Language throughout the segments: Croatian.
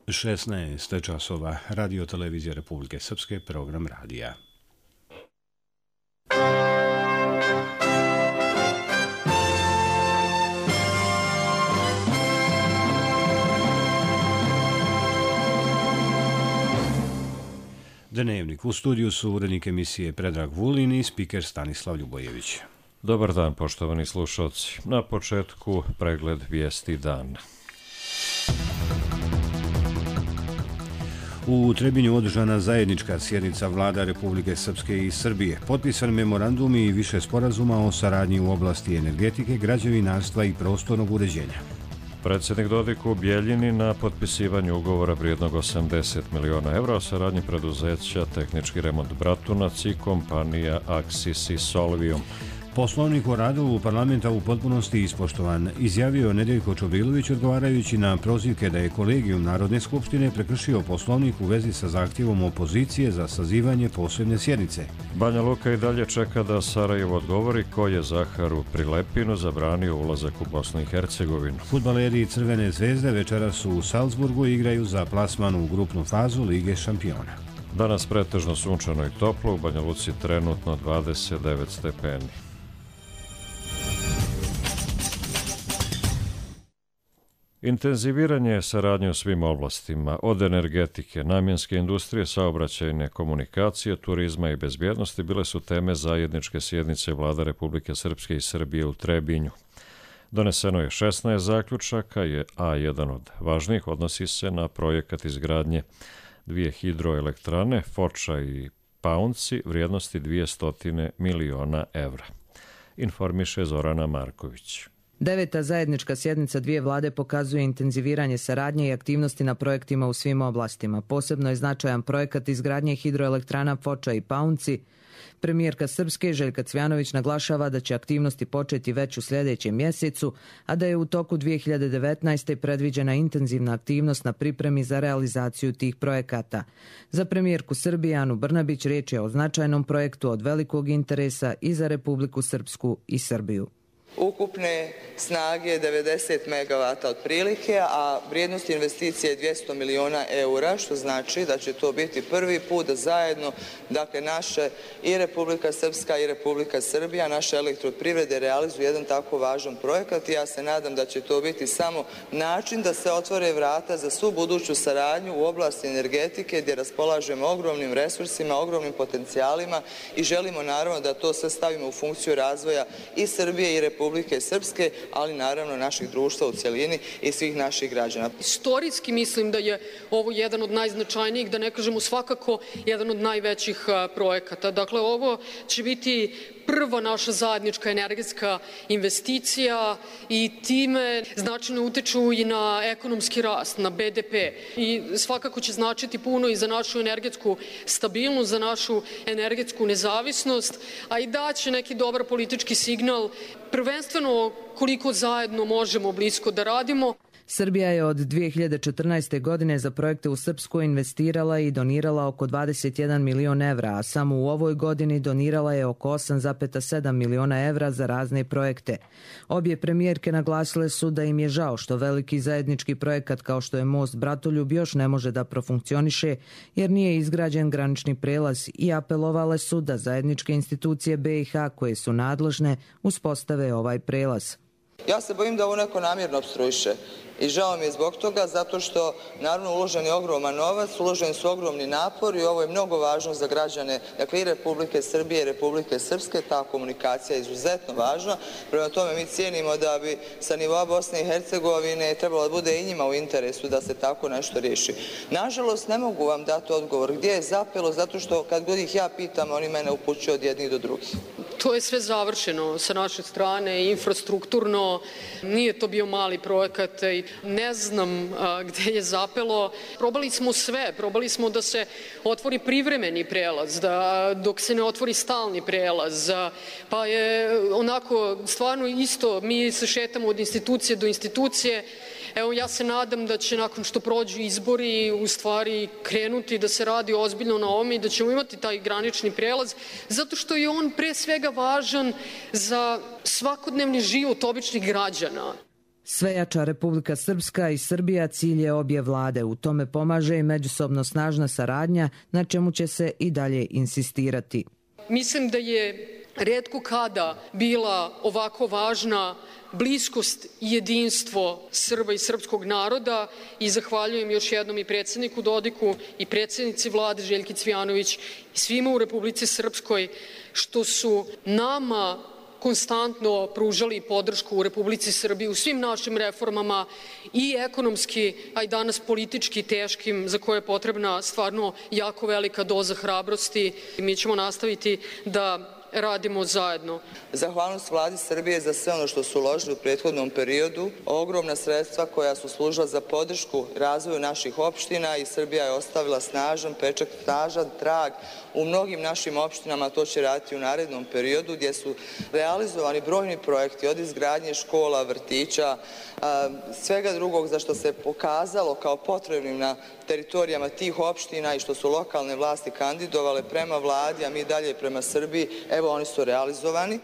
16 časova, Radio Televizija Republike Srpske, program radija. Dnevnik. U studiju su urednik emisije Predrag Vulin i spiker Stanislav Ljubojević. Dobar dan, poštovani slušalci. Na početku pregled vijesti dana. U Trebinju održana zajednička sjednica vlada Republike Srpske i Srbije. Potpisan memorandum i više sporazuma o saradnji u oblasti energetike, građevinarstva i prostornog uređenja. Predsjednik Dodik u Bijeljini na potpisivanju ugovora vrijednog 80 miliona evra o saradnji preduzeća Tehnički remont Bratunac i kompanija Axis i Solvium. Poslovnik o radu parlamenta u potpunosti ispoštovan, izjavio Nedeljko Čobrilović odgovarajući na prozivke da je kolegijum Narodne skupštine prekršio poslovnik u vezi sa zahtjevom opozicije za sazivanje posebne sjednice. Banja Luka i dalje čeka da Sarajevo odgovori ko je Zaharu Prilepinu zabranio ulazak u Bosnu i Hercegovinu. Fudbaleri Crvene zvezde večeras su u Salzburgu i igraju za plasman u grupnu fazu Lige šampiona. Danas pretežno sunčano i toplo, u Banja Luci trenutno 29 stepeni. Intenziviranje saradnje u svim oblastima, od energetike, namjenske industrije, saobraćajne komunikacije, turizma i bezbjednosti bile su teme zajedničke sjednice vlada Republike Srpske i Srbije u Trebinju. Doneseno je 16 zaključaka, a jedan od važnijih odnosi se na projekat izgradnje dvije hidroelektrane, Foča i Paunci, vrijednosti 200 miliona evra. Informiše Zorana Marković. Deveta zajednička sjednica dvije vlade pokazuje intenziviranje saradnje i aktivnosti na projektima u svim oblastima. Posebno je značajan projekat izgradnje hidroelektrana Foča i Paunci. Premijerka Srpske Željka Cvjanović naglašava da će aktivnosti početi već u sljedećem mjesecu, a da je u toku 2019. predviđena intenzivna aktivnost na pripremi za realizaciju tih projekata. Za premijerku Srbije Anu Brnabić riječ je o značajnom projektu od velikog interesa i za Republiku Srpsku i Srbiju. Ukupne snage 90 megavata otprilike, a vrijednost investicije je 200 miliona eura, što znači da će to biti prvi put da zajedno, dakle, naše i Republika Srpska i Republika Srbija, naše elektroprivrede realizuju jedan tako važan projekat i ja se nadam da će to biti samo način da se otvore vrata za svu buduću saradnju u oblasti energetike gdje raspolažemo ogromnim resursima, ogromnim potencijalima i želimo naravno da to sve stavimo u funkciju razvoja i Srbije i Republike Srpske, ali naravno naših društva u cjelini i svih naših građana. Istorijski mislim da je ovo jedan od najznačajnijih, da ne kažemo svakako jedan od najvećih projekata. Dakle, ovo će biti prva naša zajednička energetska investicija i time značajno utiču i na ekonomski rast, na BDP. I svakako će značiti puno i za našu energetsku stabilnost, za našu energetsku nezavisnost, a i daće neki dobar politički signal, prvenstveno koliko zajedno možemo blisko da radimo. Srbija je od 2014. godine za projekte u Srpsku investirala i donirala oko 21 milion evra, a samo u ovoj godini donirala je oko 8,7 miliona evra za razne projekte. Obje premijerke naglasile su da im je žao što veliki zajednički projekat kao što je most Bratoljub još ne može da profunkcioniše jer nije izgrađen granični prelaz i apelovale su da zajedničke institucije BiH koje su nadležne uspostave ovaj prelaz. Ja se bojim da ovo neko namjerno opstruiše i žao mi je zbog toga zato što naravno uložen je ogroman novac, uloženi su ogromni napori i ovo je mnogo važno za građane, dakle i Republike Srbije i Republike Srpske, ta komunikacija je izuzetno važna. Prema tome mi cijenimo da bi sa nivoa Bosne i Hercegovine trebalo da bude i njima u interesu da se tako nešto riješi. Nažalost ne mogu vam dati odgovor gdje je zapelo zato što kad god ih ja pitam oni mene upućuju od jednih do drugih. To je sve završeno sa naše strane, infrastrukturno, nije to bio mali projekat i ne znam gdje je zapelo. Probali smo sve, probali smo da se otvori privremeni prelaz, da dok se ne otvori stalni prelaz, pa je onako stvarno isto, mi se šetamo od institucije do institucije. Evo, ja se nadam da će nakon što prođu izbori u stvari krenuti da se radi ozbiljno na ovome i da ćemo imati taj granični prelaz, zato što je on pre svega važan za svakodnevni život običnih građana. Svejača Republika Srpska i Srbija cilj je obje vlade. U tome pomaže i međusobno snažna saradnja, na čemu će se i dalje insistirati. Mislim da je retko kada bila ovako važna bliskost i jedinstvo Srba i srpskog naroda i zahvaljujem još jednom i predsjedniku Dodiku i predsjednici vlade Željki Cvijanović i svima u Republici Srpskoj što su nama konstantno pružali podršku u Republici Srbiji u svim našim reformama i ekonomski, a i danas politički teškim, za koje je potrebna stvarno jako velika doza hrabrosti i mi ćemo nastaviti da radimo zajedno. Zahvalnost vladi Srbije za sve ono što su uložili u prethodnom periodu, ogromna sredstva koja su služila za podršku razvoju naših opština i Srbija je ostavila snažan pečat, snažan trag u mnogim našim opštinama, to će raditi u narednom periodu gdje su realizovani brojni projekti od izgradnje škola, vrtića, svega drugog za što se pokazalo kao potrebnim na teritorijama tih opština i što su lokalne vlasti kandidovale prema vladi, a mi dalje prema Srbiji, evo oni su realizovani.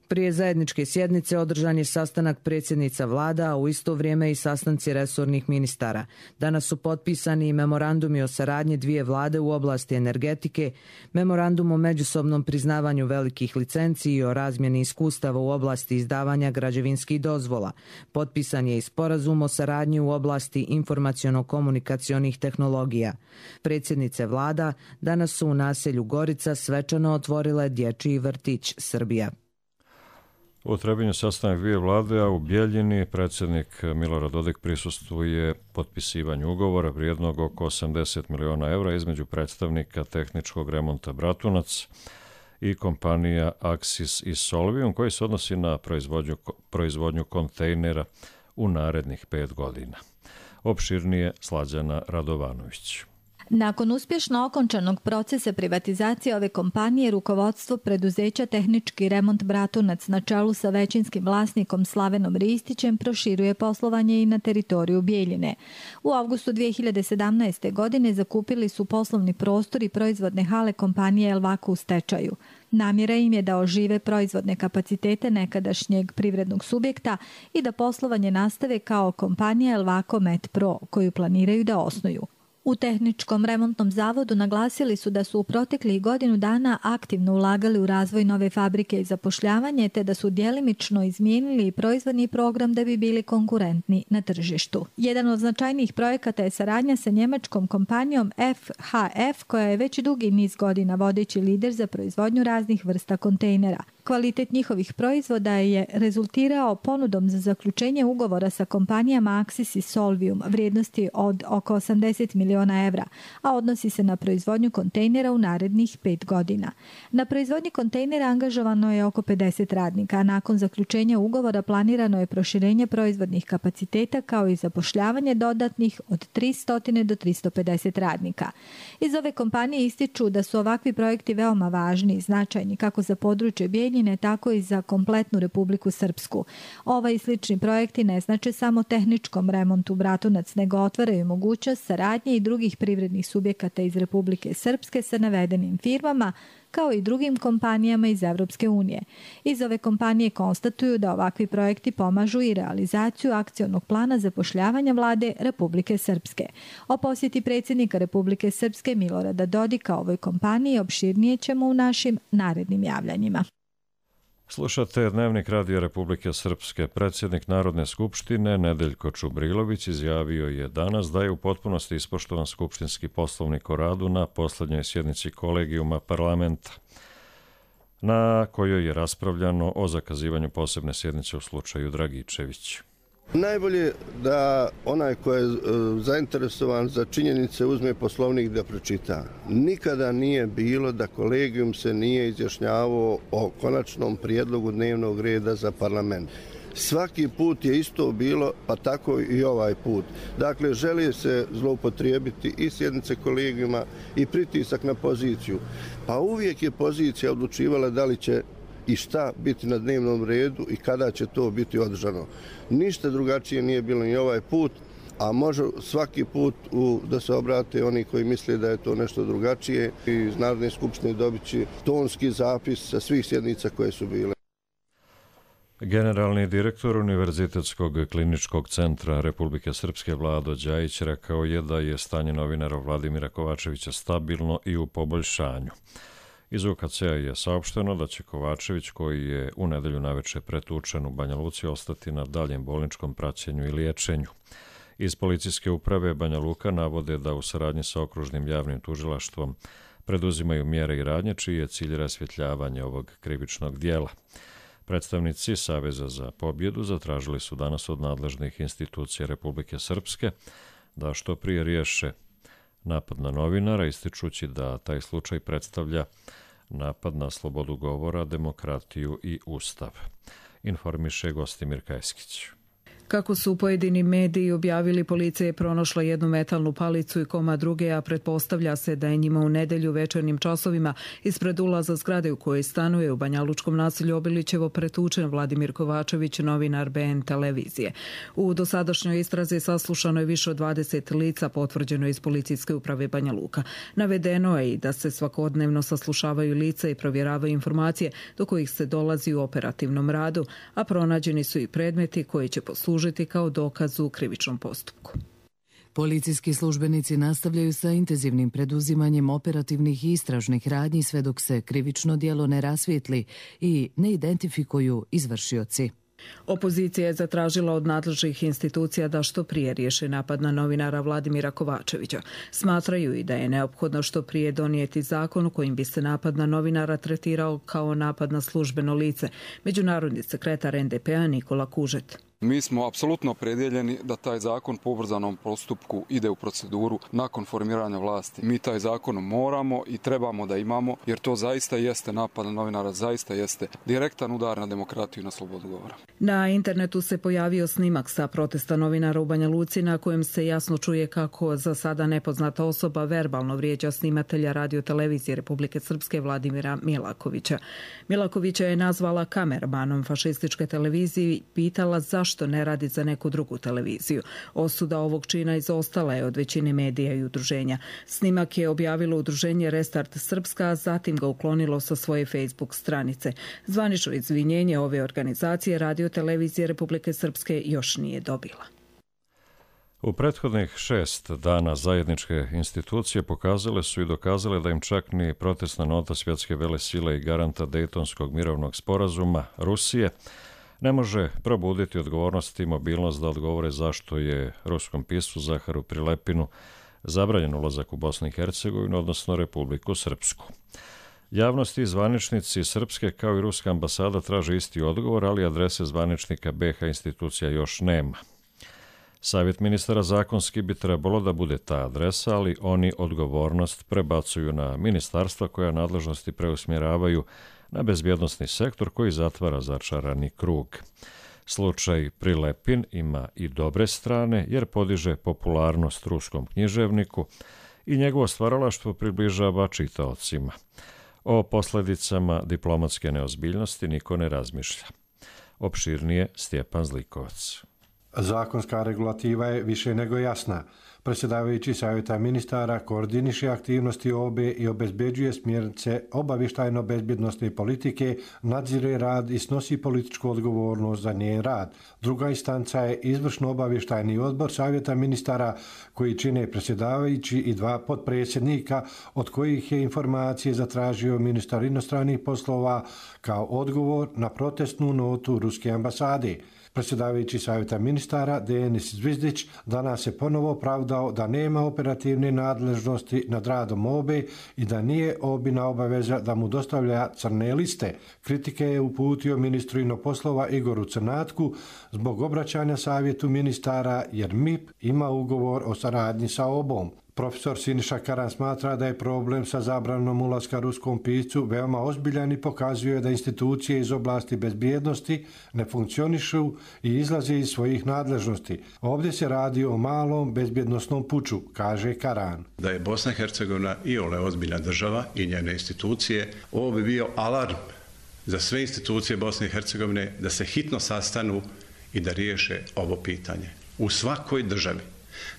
Prije zajedničke sjednice održan je sastanak predsjednica vlada, a u isto vrijeme i sastanci resornih ministara. Danas su potpisani i memorandumi o saradnji dvije vlade u oblasti energetike, memorandum o međusobnom priznavanju velikih licenci i o razmjeni iskustava u oblasti izdavanja građevinskih dozvola. Potpisan je i sporazum o saradnji u oblasti informaciono-komunikacionih tehnologija. Predsjednice vlada danas su u naselju Gorica svečano otvorile dječji vrtić Srbija. U Trebinju sastanak dvije vlade, a u Bjeljini predsjednik Milorad Dodik prisustvuje potpisivanju ugovora vrijednog oko 80 miliona evra između predstavnika tehničkog remonta Bratunac i kompanija Axis i Solvium, koji se odnosi na proizvodnju kontejnera u narednih 5 godina. Opširnije Slađana Radovanović. Nakon uspješno okončanog procesa privatizacije ove kompanije, rukovodstvo preduzeća Tehnički remont Bratunac na čelu sa većinskim vlasnikom Slavenom Ristićem proširuje poslovanje i na teritoriju Bjeljine. U avgustu 2017. godine zakupili su poslovni prostor i proizvodne hale kompanije Elvako u stečaju. Namjera im je da ožive proizvodne kapacitete nekadašnjeg privrednog subjekta i da poslovanje nastave kao kompanija Elvako Met Pro, koju planiraju da osnuju. U Tehničkom remontnom zavodu naglasili su da su u proteklih godinu dana aktivno ulagali u razvoj nove fabrike i zapošljavanje, te da su djelimično izmijenili proizvodni program da bi bili konkurentni na tržištu. Jedan od značajnijih projekata je saradnja sa njemačkom kompanijom FHF, koja je već dugi niz godina vodeći lider za proizvodnju raznih vrsta kontejnera. Kvalitet njihovih proizvoda je rezultirao ponudom za zaključenje ugovora sa kompanijama Axis i Solvium vrijednosti od oko 80 miliona evra, a odnosi se na proizvodnju kontejnera u narednih 5 godina. Na proizvodnji kontejnera angažovano je oko 50 radnika, a nakon zaključenja ugovora planirano je proširenje proizvodnih kapaciteta kao i zapošljavanje dodatnih od 300 do 350 radnika. Iz ove kompanije ističu da su ovakvi projekti veoma važni i značajni kako za područje Bjeljine, tako i za kompletnu Republiku Srpsku. Ovaj i slični projekti ne znače samo tehničkom remontu Bratunac, nego otvaraju mogućnost saradnje i drugih privrednih subjekata iz Republike Srpske sa navedenim firmama, kao i drugim kompanijama iz Evropske unije. Iz ove kompanije konstatuju da ovakvi projekti pomažu i realizaciju akcionog plana zapošljavanja vlade Republike Srpske. O posjeti predsjednika Republike Srpske Milorada Dodika ovoj kompaniji opširnije ćemo u našim narednim javljanjima. Slušate Dnevnik Radija Republike Srpske. Predsjednik Narodne skupštine Nedeljko Čubrilović izjavio je danas da je u potpunosti ispoštovan skupštinski poslovnik o radu na posljednjoj sjednici kolegijuma parlamenta, na kojoj je raspravljano o zakazivanju posebne sjednice u slučaju Dragičević. Najbolje da onaj ko je zainteresovan za činjenice uzme poslovnik da pročita. Nikada nije bilo da kolegijum se nije izjašnjavao o konačnom prijedlogu dnevnog reda za parlament. Svaki put je isto bilo, pa tako i ovaj put. Dakle, želi se zloupotrijebiti i sjednice kolegijuma i pritisak na poziciju. Pa uvijek je pozicija odlučivala da li će i šta biti na dnevnom redu i kada će to biti održano. Ništa drugačije nije bilo ni ovaj put, a može svaki put da se obrate oni koji misle da je to nešto drugačije. Iz Narodne skupštine dobit će tonski zapis sa svih sjednica koje su bile. Generalni direktor Univerzitetskog kliničkog centra Republike Srpske Vlado Đajić rekao je da je stanje novinara Vladimira Kovačevića stabilno i u poboljšanju. Iz UKC-a je saopšteno da će Kovačević, koji je u nedelju naveče pretučen u Banja Luci, ostati na daljem bolničkom praćenju i liječenju. Iz policijske uprave Banja Luka navode da u saradnji sa okružnim javnim tužilaštvom preduzimaju mjere i radnje čiji je cilj rasvjetljavanje ovog krivičnog dijela. Predstavnici Saveza za pobjedu zatražili su danas od nadležnih institucija Republike Srpske da što prije riješe napad na novinara, ističući da taj slučaj predstavlja napad na slobodu govora, demokratiju i ustav. Informiše Gostimir Kajskić. Kako su pojedini mediji objavili, policija je pronašla jednu metalnu palicu i komad druge, a pretpostavlja se da je njima u nedelju večernjim časovima ispred ulaza zgrade u kojoj stanuje u banjalučkom naselju Obilićevo pretučen Vladimir Kovačević, novinar BN televizije. U dosadašnjoj istrazi saslušano je više od 20 lica, potvrđeno iz policijske uprave Banja Luka. Navedeno je i da se svakodnevno saslušavaju lica i provjeravaju informacije do kojih se dolazi u operativnom radu, a pronađeni su i predmeti koji će poslužiti kao dokaz u krivičnom postupku. Policijski službenici nastavljaju sa intenzivnim preduzimanjem operativnih i istražnih radnji sve dok se krivično djelo ne rasvijetli i ne identifikuju izvršioci. Opozicija je zatražila od nadležnih institucija da što prije riješe napad na novinara Vladimira Kovačevića. Smatraju i da je neophodno što prije donijeti zakon kojim bi se napad na novinara tretirao kao napad na službeno lice. Međunarodni sekretar NDP-a Nikola Kužet. Mi smo apsolutno opredjeljeni da taj zakon po ubrzanom postupku ide u proceduru nakon formiranja vlasti. Mi taj zakon moramo i trebamo da imamo, jer to zaista jeste napad na novinara, zaista jeste direktan udar na demokratiju i na slobodu govora. Na internetu se pojavio snimak sa protesta novinara u Banja Luci na kojem se jasno čuje kako za sada nepoznata osoba verbalno vrijeđa snimatelja radiotelevizije Republike Srpske Vladimira Milakovića. Milakovića je nazvala kameramanom fašističke televizije i pitala zašto ne radi za neku drugu televiziju. Osuda ovog čina izostala je od većine medija i udruženja. Snimak je objavilo udruženje Restart Srpska, a zatim ga uklonilo sa svoje Facebook stranice. Zvanično izvinjenje ove organizacije radiotelevizije Republike Srpske još nije dobila. U prethodnih 6 dana zajedničke institucije pokazale su i dokazale da im čak ni protestna nota svjetske velesile i garanta Dejtonskog mirovnog sporazuma Rusije ne može probuditi odgovornost i mobilnost da odgovore zašto je ruskom piscu Zaharu Prilepinu zabranjen ulazak u Bosnu i Hercegovinu, odnosno Republiku Srpsku. Javnost i zvaničnici Srpske kao i ruska ambasada traže isti odgovor, ali adrese zvaničnika BiH institucija još nema. Savjet ministara zakonski bi trebalo da bude ta adresa, ali oni odgovornost prebacuju na ministarstva koja nadležnosti preusmjeravaju na bezbjednosni sektor koji zatvara začarani krug. Slučaj Prilepin ima i dobre strane jer podiže popularnost ruskom književniku i njegovo stvaralaštvo približava čitaocima. O posljedicama diplomatske neozbiljnosti niko ne razmišlja. Opširnije Stjepan Zlikovac. Zakonska regulativa je više nego jasna. Predsjedavajući Savjeta ministara koordiniše aktivnosti OBE i obezbeđuje smjernice obavještajno-bezbjednosne politike, nadzire rad i snosi političku odgovornost za njen rad. Druga instanca je izvršno obavještajni odbor Savjeta ministara koji čine predsjedavajući i 2 potpredsjednika, od kojih je informacije zatražio ministar inostranih poslova kao odgovor na protestnu notu ruske ambasade. Predsjedavajući Savjeta ministara Denis Zvizdić danas je ponovo opravdao da nema operativne nadležnosti nad radom OBE i da nije OBIna obaveza da mu dostavlja crne liste. Kritike je uputio ministru inostranih poslova Igoru Crnatku zbog obraćanja Savjetu ministara jer MIP ima ugovor o saradnji sa OBom. Profesor Siniša Karan smatra da je problem sa zabranom ulaska ruskom piscu veoma ozbiljan i pokazuje da institucije iz oblasti bezbjednosti ne funkcionišu i izlaze iz svojih nadležnosti. Ovdje se radi o malom bezbjednosnom puču, kaže Karan. Da je Bosna i Hercegovina iole ozbiljna država i njene institucije, ovo bi bio alarm za sve institucije Bosne i Hercegovine da se hitno sastanu i da riješe ovo pitanje. U svakoj državi,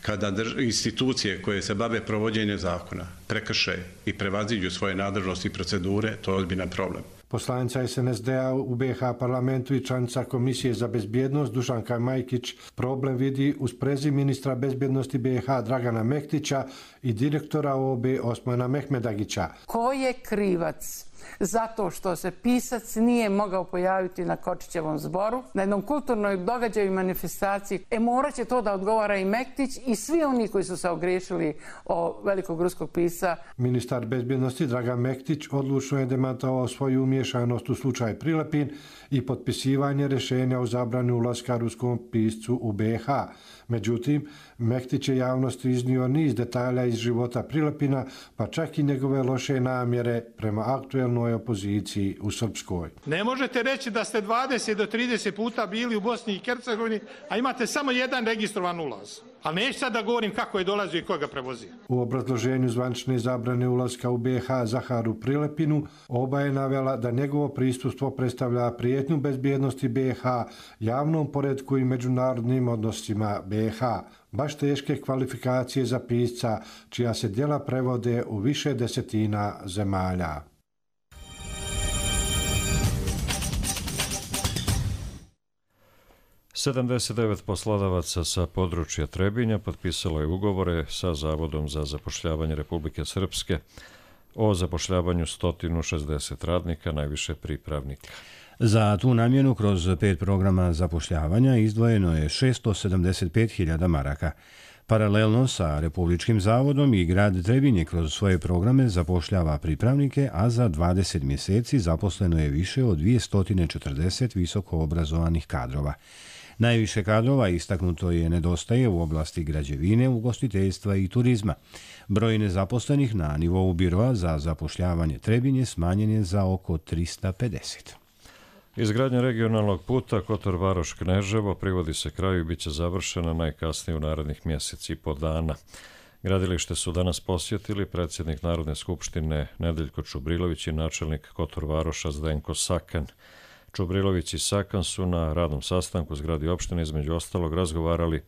kada institucije koje se bave provođenjem zakona prekrše i prevaziđu svoje nadležnosti i procedure, to je ozbiljan problem. Poslanica SNSD-a u BiH parlamentu i članica Komisije za bezbjednost Dušanka Majkić problem vidi uz prezir ministra bezbjednosti BiH Dragana Mektića i direktora OB Osmana Mehmedagića. Ko je krivac zato što se pisac nije mogao pojaviti na Kočićevom zboru, na jednom kulturnoj događaju i manifestaciji? Morat će to da odgovara i Mektić i svi oni koji su se ogriješili o velikog ruskog pisca. Ministar bezbjednosti Dragan Mektić odlučno je demantovao svoju umješanost u slučaj Prilepin i potpisivanje rješenja o zabrani ulaska ruskom piscu u BiH. Međutim, Mektić je javnosti iznio niz detalja iz života Prilepina, pa čak i njegove loše namjere prema aktuelnoj opoziciji u Srpskoj. Ne možete reći da ste 20 do 30 puta bili u Bosni i Hercegovini, a imate samo jedan registrovan ulaz. Ali neću sad da govorim kako je dolazio i ko ga prevozio. U obrazloženju zvanične zabrane ulaska u BiH Zaharu Prilepinu oba je navela da njegovo prisustvo predstavlja prijetnju bezbjednosti BiH, javnom poretku i međunarodnim odnosima BiH. Baš teške kvalifikacije za pisca, čija se djela prevode u više desetina zemalja. Sedamdeset poslodavaca sa područja Trebinja potpisalo je ugovore sa Zavodom za zapošljavanje Republike Srpske o zapošljavanju 160 radnika, najviše pripravnika. Za tu namjenu kroz 5 programa zapošljavanja izdvojeno je 675.000 maraka. Paralelno sa Republičkim zavodom i grad Trebinje kroz svoje programe zapošljava pripravnike, a za 20 mjeseci zaposleno je više od 240 visoko obrazovanih kadrova. Najviše kadrova istaknuto je nedostaje u oblasti građevine, ugostiteljstva i turizma. Broj nezaposlenih na nivou biroa za zapošljavanje Trebinje smanjen je za oko 350. Izgradnja regionalnog puta Kotor-Varoš-Kneževo privodi se kraju i bit će završena najkasnije u narednih mjeseci i po dana. Gradilište su danas posjetili predsjednik Narodne skupštine Nedeljko Čubrilović i načelnik Kotor-Varoša Zdenko Sakan. Čubrilović i Sakan su na radnom sastanku u zgradi opštine između ostalog razgovarali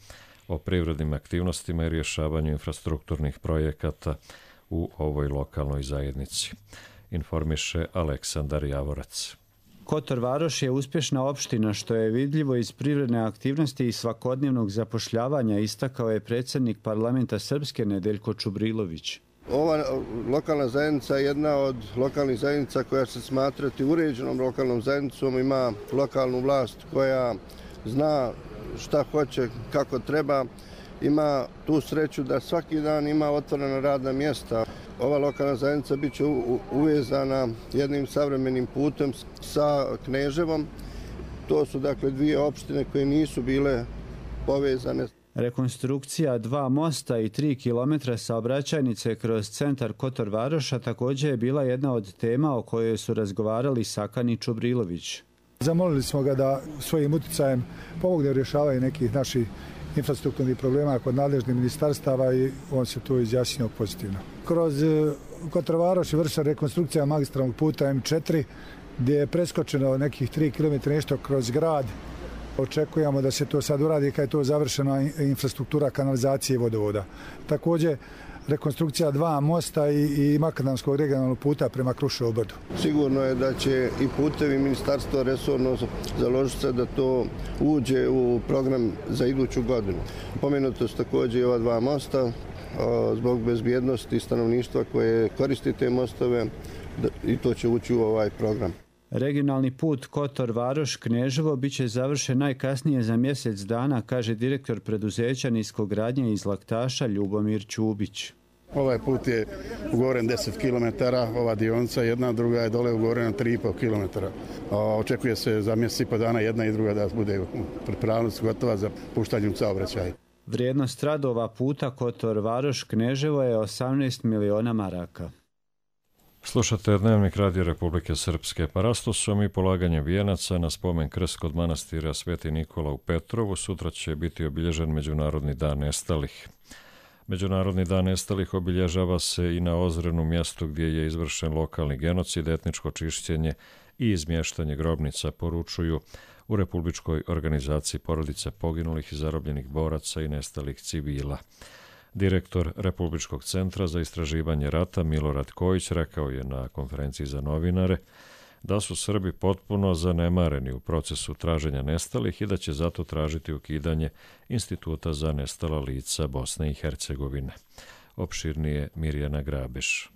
o privrednim aktivnostima i rješavanju infrastrukturnih projekata u ovoj lokalnoj zajednici. Informiše Aleksandar Javorac. Kotor Varoš je uspješna opština, što je vidljivo iz privredne aktivnosti i svakodnevnog zapošljavanja, istakao je predsjednik parlamenta Srpske Nedeljko Čubrilović. Ova lokalna zajednica je jedna od lokalnih zajednica koja se smatrati uređenom lokalnom zajednicom, ima lokalnu vlast koja zna šta hoće, kako treba, ima tu sreću da svaki dan ima otvorena radna mjesta. Ova lokalna zajednica bit će uvezana jednim savremenim putem sa Kneževom. To su dakle dvije opštine koje nisu bile povezane. Rekonstrukcija 2 mosta i 3 kilometra saobraćajnice kroz centar Kotor Varoša također je bila jedna od tema o kojoj su razgovarali Sakan i Čubrilović. Zamolili smo ga da svojim utjecajem pomogne u rješavanju nekih naših infrastrukturnih problema kod nadležnih ministarstava i on se tu izjasnio pozitivno. Kroz Kotor Varoš je vršena rekonstrukcija magistralnog puta M4 gdje je preskočeno nekih 3 km nešto kroz grad. Očekujemo da se to sad uradi kad je to završena infrastruktura kanalizacije i vodovoda. Također rekonstrukcija 2 mosta i makadamskog regionalnog puta prema Kruševom brdu. Sigurno je da će i putevi ministarstva resorno založiti se da to uđe u program za iduću godinu. Pomenuto su također i ova 2 mosta zbog bezbjednosti stanovništva koje koristi te mostove i to će ući u ovaj program. Regionalni put Kotor Varoš Kneževo bit će završen najkasnije za mjesec dana, kaže direktor preduzeća niskogradnje iz Laktaša Ljubomir Ćubić. Ovaj put je ugovoren 10 km, ova dionica jedna, druga je dole ugovorena 3,5 km. Očekuje se za mjesec i po dana jedna i druga da bude pripravnost gotova za puštanje u saobraćaj. Vrijednost radova puta Kotor Varoš Kneževo je 18 miliona maraka. Slušate Dnevnik Radio Republike Srpske. Parastosom i polaganjem vijenaca na spomen krst kod manastira Sveti Nikola u Petrovu sutra će biti obilježen Međunarodni dan nestalih. Međunarodni dan nestalih obilježava se i na Ozrenu, mjestu gdje je izvršen lokalni genocid, etničko čišćenje i izmještanje grobnica, poručuju u Republičkoj organizaciji porodica poginulih i zarobljenih boraca i nestalih civila. Direktor Republičkog centra za istraživanje rata Milorad Kojić rekao je na konferenciji za novinare da su Srbi potpuno zanemareni u procesu traženja nestalih i da će zato tražiti ukidanje Instituta za nestala lica Bosne i Hercegovine. Opširnije Mirjana Grabeš.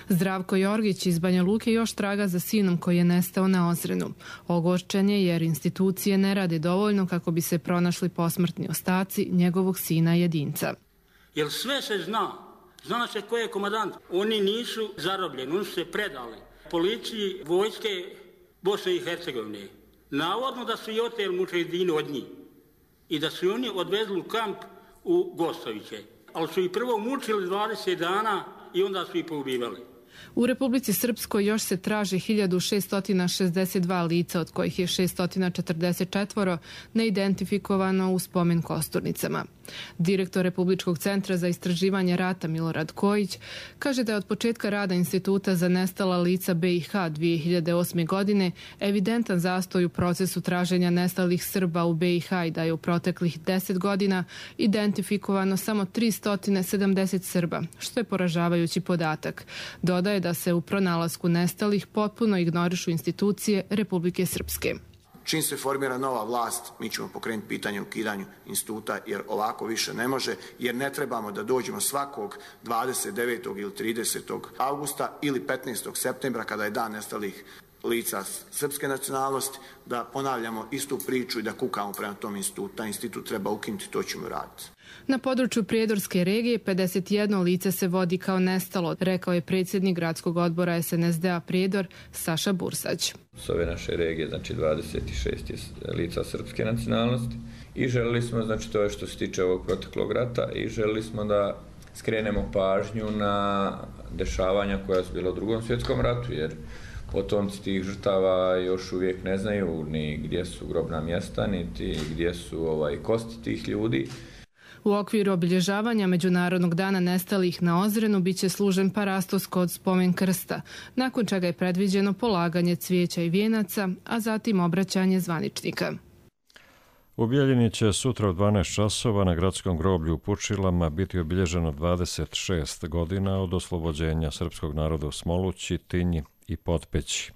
Zdravko Jorgić iz Banja Luke još traga za sinom koji je nestao na Ozrenu. Ogorčen je jer institucije ne rade dovoljno kako bi se pronašli posmrtni ostaci njegovog sina jedinca. Jer sve se zna se ko je komandant. Oni nisu zarobljeni, oni su se predali policiji vojske Bosne i Hercegovine. Navodno da su i oteli mučedini od njih i da su oni odvezli u kamp u Gostoviće. Ali su ih prvo mučili 20 dana i onda su ih poubivali. U Republici Srpskoj još se traži 1662 lica, od kojih je 644 neidentifikovano u spomen kosturnicama. Direktor Republičkog centra za istraživanje rata Milorad Kojić kaže da je od početka rada Instituta za nestala lica BiH 2008. godine evidentan zastoj u procesu traženja nestalih Srba u BiH i da je u proteklih 10 godina identifikovano samo 370 Srba, što je poražavajući podatak. Dodaje da se u pronalasku nestalih potpuno ignorišu institucije Republike Srpske. Čim se formira nova vlast, mi ćemo pokrenuti pitanje o ukidanju instituta, jer ovako više ne može, jer ne trebamo da dođemo svakog 29. ili 30. augusta ili 15. septembra, kada je dan nestalih lica srpske nacionalnosti, da ponavljamo istu priču i da kukamo prema tom institutu. Taj institut treba ukinuti, to ćemo raditi. Na području Prijedorske regije 51 lice se vodi kao nestalo, rekao je predsjednik gradskog odbora SNSD-a Prijedor Saša Bursać. S ove naše regije, znači 26 lica srpske nacionalnosti i želili smo, znači to je što se tiče ovog proteklog rata, i želili smo da skrenemo pažnju na dešavanja koja su bila u Drugom svjetskom ratu, jer potomci tih žrtava još uvijek ne znaju ni gdje su grobna mjesta, niti gdje su kosti tih ljudi. U okviru obilježavanja Međunarodnog dana nestalih na Ozrenu biće služen parastos kod spomen krsta, nakon čega je predviđeno polaganje cvijeća i vijenaca, a zatim obraćanje zvaničnika. U Bijeljini će sutra u 12 časova na gradskom groblju u Pučilama biti obilježeno 26 godina od oslobođenja srpskog naroda u Smolući, Tinji i Potpeći,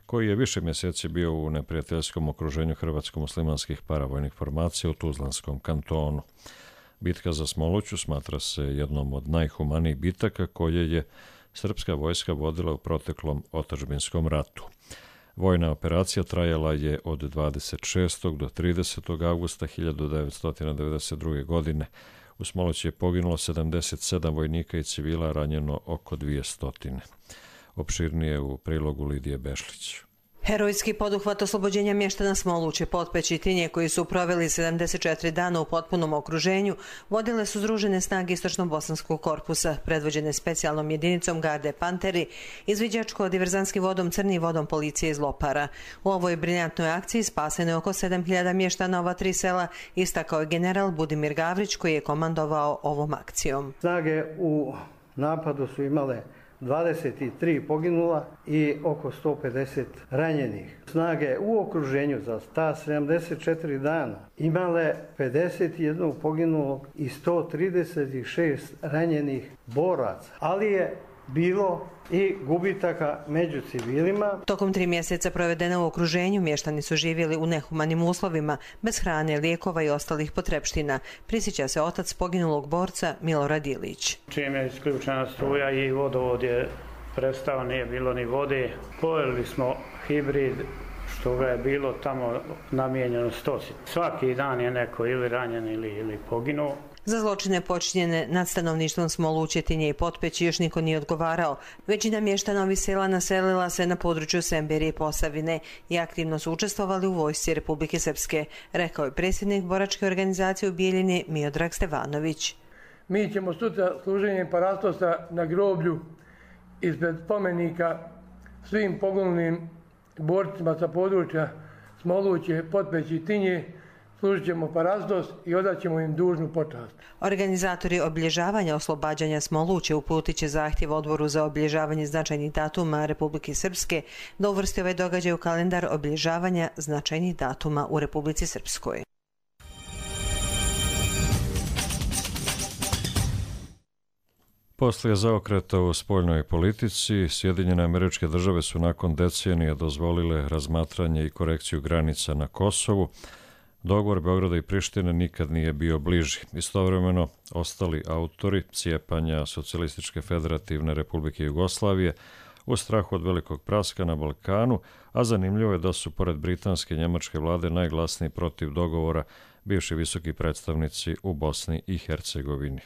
koji je više mjeseci bio u neprijateljskom okruženju hrvatsko-muslimanskih paravojnih formacija u Tuzlanskom kantonu. Bitka za Smoluću smatra se jednom od najhumanijih bitaka koje je srpska vojska vodila u proteklom otadžbinskom ratu. Vojna operacija trajala je od 26. do 30. augusta 1992. godine. U Smolući je poginulo 77 vojnika i civila, ranjeno oko 200. Opširnije u prilogu Lidije Bešlić. Herojski poduhvat oslobođenja mještana Smoluće, Potpeći i Tinje, koji su proveli 74 dana u potpunom okruženju, vodile su Združene snage Istočno-bosanskog korpusa, predvođene specijalnom jedinicom Garde Panteri, izviđačko-diverzanskim vodom Crni i vodom policije iz Lopara. U ovoj briljantnoj akciji spaseno je oko 7000 mještana ova 3 sela, istakao je general Budimir Gavrić, koji je komandovao ovom akcijom. Snage u napadu su imale 23 poginula i oko 150 ranjenih. Snage u okruženju za ta 74 dana imale 51 poginulog i 136 ranjenih boraca, ali je bilo i gubitaka među civilima. Tokom 3 mjeseca provedena u okruženju, mještani su živjeli u nehumanim uslovima, bez hrane, lijekova i ostalih potrepština, prisjeća se otac poginulog borca Milorad Ilić. Čim je isključena struja i vodovod je prestao, nije bilo ni vode, pojeli smo hibrid, što ga je bilo tamo namijenjeno stoci. Svaki dan je neko ili ranjen ili poginuo. Za zločine počinjene nad stanovništvom Smoluće, Tinje i Potpeći još niko nije odgovarao. Većina mještana ovih sela naselila se na području Semberije i Posavine i aktivno su učestvovali u vojsci Republike Srpske, rekao je predsjednik boračke organizacije u Bijeljini Miodrag Stevanović. Mi ćemo sutra služenjem parastosa na groblju ispred spomenika svim poginulim borcima sa područja Smoluće, Potpeći i Tinje služit ćemo parastos i odaćemo im dužnu počast. Organizatori obilježavanja oslobađanja Smoluće uputit će zahtjev Odboru za obilježavanje značajnih datuma Republike Srpske da uvrsti ovaj događaj u kalendar obilježavanja značajnih datuma u Republici Srpskoj. Poslije zaokreta u spoljnoj politici, Sjedinjene Američke Države su nakon decenije dozvolile razmatranje i korekciju granica na Kosovu. Dogovor Beograda i Prištine nikad nije bio bliži. Istovremeno, ostali autori cijepanja Socijalističke federativne Republike Jugoslavije u strahu od velikog praska na Balkanu, a zanimljivo je da su pored britanske i njemačke vlade najglasniji protiv dogovora bivši visoki predstavnici u Bosni i Hercegovini.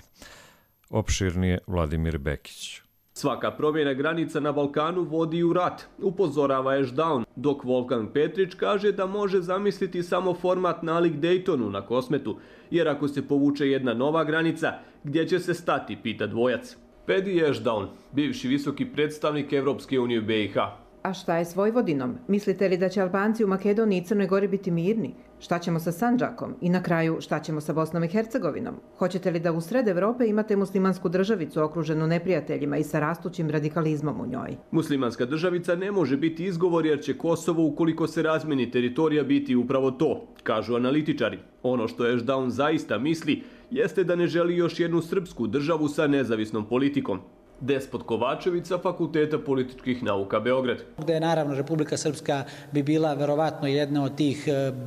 Opširnije Vladimir Bekić. Svaka promjena granica na Balkanu vodi u rat, upozorava Ashdown, dok Wolfgang Petrić kaže da može zamisliti samo format nalik Daytonu na Kosmetu, jer ako se povuče jedna nova granica, gdje će se stati, pita dvojac. Pedi Ashdown, bivši visoki predstavnik Evropske unije u BiH. A šta je s Vojvodinom? Mislite li da će Albanci u Makedoniji i Crnoj Gori biti mirni? Šta ćemo sa Sandžakom? I na kraju, šta ćemo sa Bosnom i Hercegovinom? Hoćete li da u sred Evrope imate muslimansku državicu okruženu neprijateljima i sa rastućim radikalizmom u njoj? Muslimanska državica ne može biti izgovor jer će Kosovo, ukoliko se razmeni teritorija, biti upravo to, kažu analitičari. Ono što Ashdown zaista misli jeste da ne želi još jednu srpsku državu sa nezavisnom politikom. Despot Kovačević sa Fakulteta političkih nauka Beograd. Gde naravno Republika Srpska bi bila verovatno jedna od tih,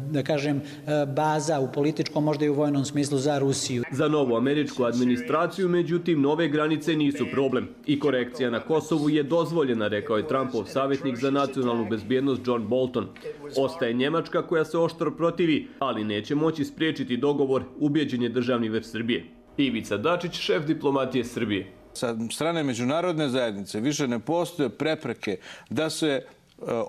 da kažem, baza u političkom, možda i u vojnom smislu za Rusiju. Za novu američku administraciju, međutim, nove granice nisu problem. I korekcija na Kosovu je dozvoljena, rekao je Trumpov savjetnik za nacionalnu bezbjednost John Bolton. Ostaje Njemačka koja se oštro protivi, ali neće moći spriječiti dogovor, ubjeđen je državni vrh Srbije. Ivica Dačić, šef diplomatije Srbije. Sa strane međunarodne zajednice više ne postoje prepreke da se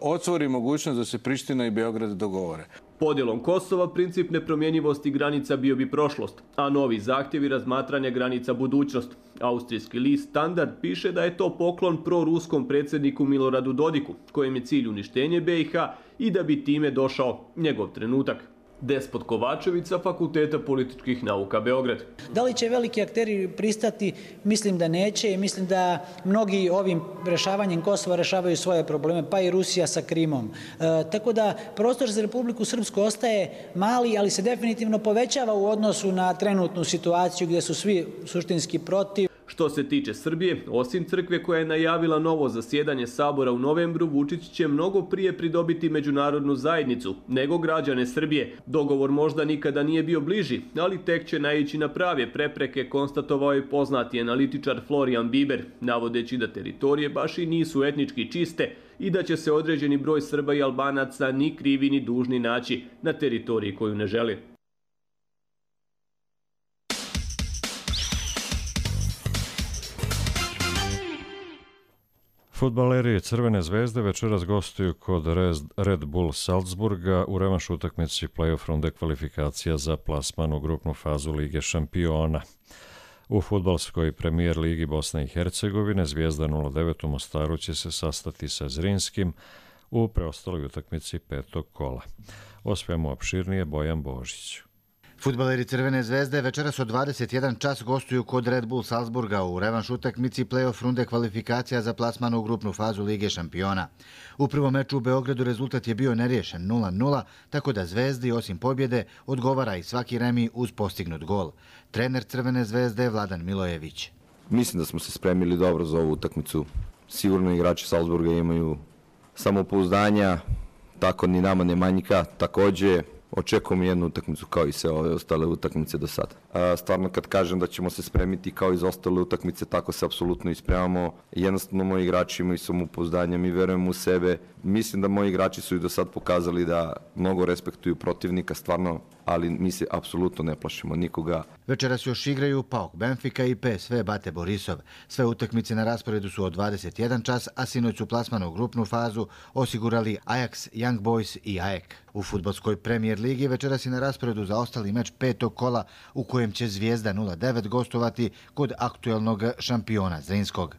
otvori mogućnost da se Priština i Beograd dogovore. Podjelom Kosova princip nepromjenjivosti granica bio bi prošlost, a novi zahtjevi razmatranja granica budućnost. Austrijski list Standard piše da je to poklon proruskom predsjedniku Miloradu Dodiku, kojem je cilj uništenje BiH i da bi time došao njegov trenutak. Despot Kovačević sa Fakulteta političkih nauka Beograd. Da li će veliki akteri pristati? Mislim da neće i mislim da mnogi ovim rešavanjem Kosova rešavaju svoje probleme, pa i Rusija sa Krimom. Tako da prostor za Republiku Srpsku ostaje mali, ali se definitivno povećava u odnosu na trenutnu situaciju gdje su svi suštinski protiv. Što se tiče Srbije, osim crkve koja je najavila novo zasjedanje Sabora u novembru, Vučić će mnogo prije pridobiti međunarodnu zajednicu nego građane Srbije. Dogovor možda nikada nije bio bliži, ali tek će naići na prave prepreke, konstatovao je poznati analitičar Florian Biber, navodeći da teritorije baš i nisu etnički čiste i da će se određeni broj Srba i Albanaca ni krivi ni dužni naći na teritoriji koju ne žele. Fudbaleri Crvene zvezde večeras gostuju kod Red Bull Salzburga u revanš utakmici play-off runde kvalifikacija za plasman u grupnu fazu Lige šampiona. U fudbalskoj premijer ligi Bosne i Hercegovine Zvijezda 09 u Mostaru će se sastati sa Zrinskim u preostaloj utakmici petog kola. O svemu opširnije Bojan Božić. Fudbaleri Crvene zvezde večeras od 21 čas gostuju kod Red Bull Salzburga u revanš utakmici play-off runde kvalifikacija za plasman u grupnu fazu Lige šampiona. U prvom meču u Beogradu rezultat je bio neriješen 0-0, tako da Zvezdi osim pobjede odgovara i svaki remi uz postignut gol. Trener Crvene zvezde je Vladan Milojević. Mislim da smo se spremili dobro za ovu utakmicu. Sigurno igrači Salzburga imaju samopouzdanja, tako ni nama ne manjka. Također očekujem jednu utakmicu kao i sve ove ostale utakmice do sada. Stvarno kad kažem da ćemo se spremiti kao i za ostale utakmice, tako se apsolutno ispremamo. Jednostavno moji igrači imaju samopouzdanje, mi verujemo u sebe. Mislim da moji igrači su i do sad pokazali da mnogo respektuju protivnika, stvarno, ali mi se apsolutno ne plašimo nikoga. Večeras još igraju PAOK Benfica i PSV Bate Borisov. Sve utakmice na rasporedu su od 21 čas, a sinoć su plasman u grupnu fazu osigurali Ajax, Young Boys i AEK. U fudbalskoj premijer ligi večeras je na rasporedu za ostali meč petog kola u kojem će Zvijezda 09 gostovati kod aktuelnog šampiona Zrinskog.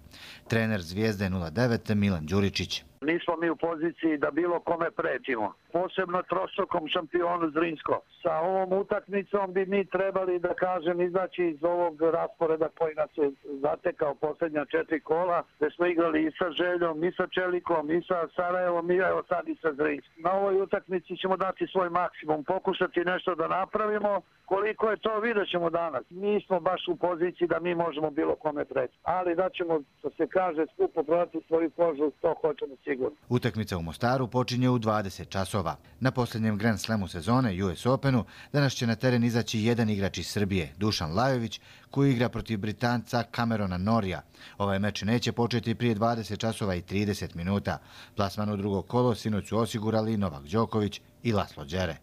Trener Zvijezde 09 Milan Đuričić. Nismo mi u poziciji da bilo kome pretimo, posebno trostrukom šampionu Zrinsko. Sa ovom utakmicom bi mi trebali, da kažem, izaći iz ovog rasporeda koji nas je zatekao posljednja 4 kola, gdje smo igrali i sa Željom, i sa Čelikom, i sa Sarajevom, i evo sad i sa Zrinskom. Na ovoj utakmici ćemo dati svoj maksimum, pokušati nešto da napravimo, Koliko je to, vidjet ćemo danas. Nismo baš u poziciji da mi možemo bilo kome preći. Ali da ćemo, što se kaže, skupo prodati svoju kožu, to hoćemo sigurno. Utakmica u Mostaru počinje u 20 časova. Na posljednjem Grand Slamu sezone, US Openu, danas će na teren izaći jedan igrač iz Srbije, Dušan Lajović, koji igra protiv Britanca Camerona Norija. Ovaj meč neće početi prije 20 časova i 30 minuta. Plasman u drugo kolo sinoć su osigurali Novak Đoković i Laslo Đere.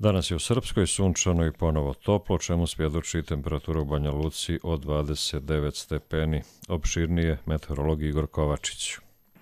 Danas je u Srpskoj sunčano i ponovo toplo, čemu svjedoči temperatura u Banja Luci od 29 stepeni. Opširnije meteorolog Igor Kovačić.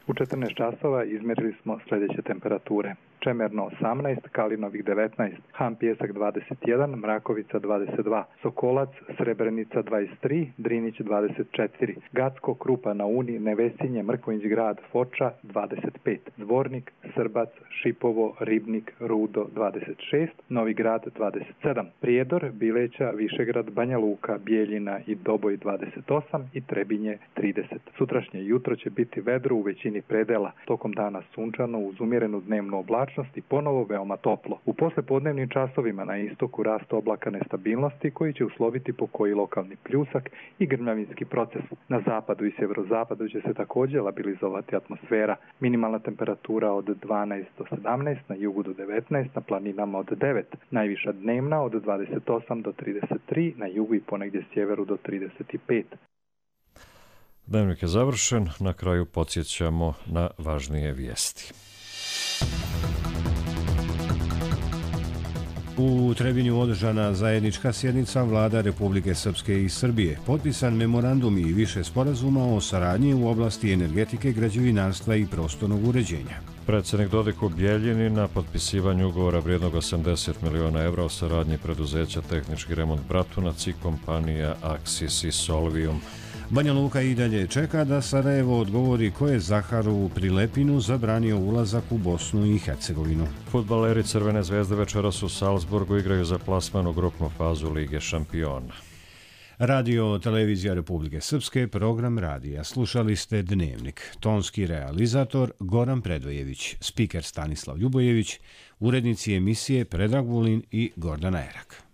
U 14 časova izmjerili smo sljedeće temperature. Čemerno 18, Kalinovik 19, Han Pjesak 21, Mrakovica 22, Sokolac, Srebrenica 23, Drinić 24, Gacko, Krupa na Uni, Nevesinje, Mrkonjić grad, Foča 25, Dvornik, Srbac, Šipovo, Ribnik, Rudo 26, Novi grad 27, Prijedor, Bileća, Višegrad, Banja Luka, Bijeljina i Doboj 28 i Trebinje 30. Sutrašnje jutro će biti vedro u većini predela, tokom dana sunčano uz umjerenu dnevnu oblačnost i ponovo veoma toplo. U poslepodnevnim časovima na istoku rast oblaka nestabilnosti koji će usloviti po koji lokalni pljusak i grmljavinski proces. Na zapadu i sjeverozapadu će se također labilizovati atmosfera. Minimalna temperatura od 12 do 17, na jugu do 19, na planinama od 9. Najviša dnevna od 28 do 33, na jugu i ponegdje sjeveru do 35. Dnevnik je završen, na kraju podsjećamo na važnije vijesti. U Trebinju održana zajednička sjednica vlada Republike Srpske i Srbije. Potpisan memorandum i više sporazuma o saradnji u oblasti energetike, građevinarstva i prostornog uređenja. Predsjednik Dodik u Bijeljini na potpisivanju ugovora vrijednog 80 miliona evra o saradnji preduzeća Tehnički remont Bratunac i kompanija Axis i Solvium. Banja Luka i dalje čeka da Sarajevo odgovori ko je Zaharu Prilepinu zabranio ulazak u Bosnu i Hercegovinu. Fudbaleri Crvene zvezde večeras u Salzburgu igraju za plasman u grupnu fazu Lige šampiona. Radio Televizija Republike Srpske, program radija. Slušali ste Dnevnik. Tonski realizator Goran Predvojević, spiker Stanislav Ljubojević, urednici emisije Predrag Vulin i Gordana Erak.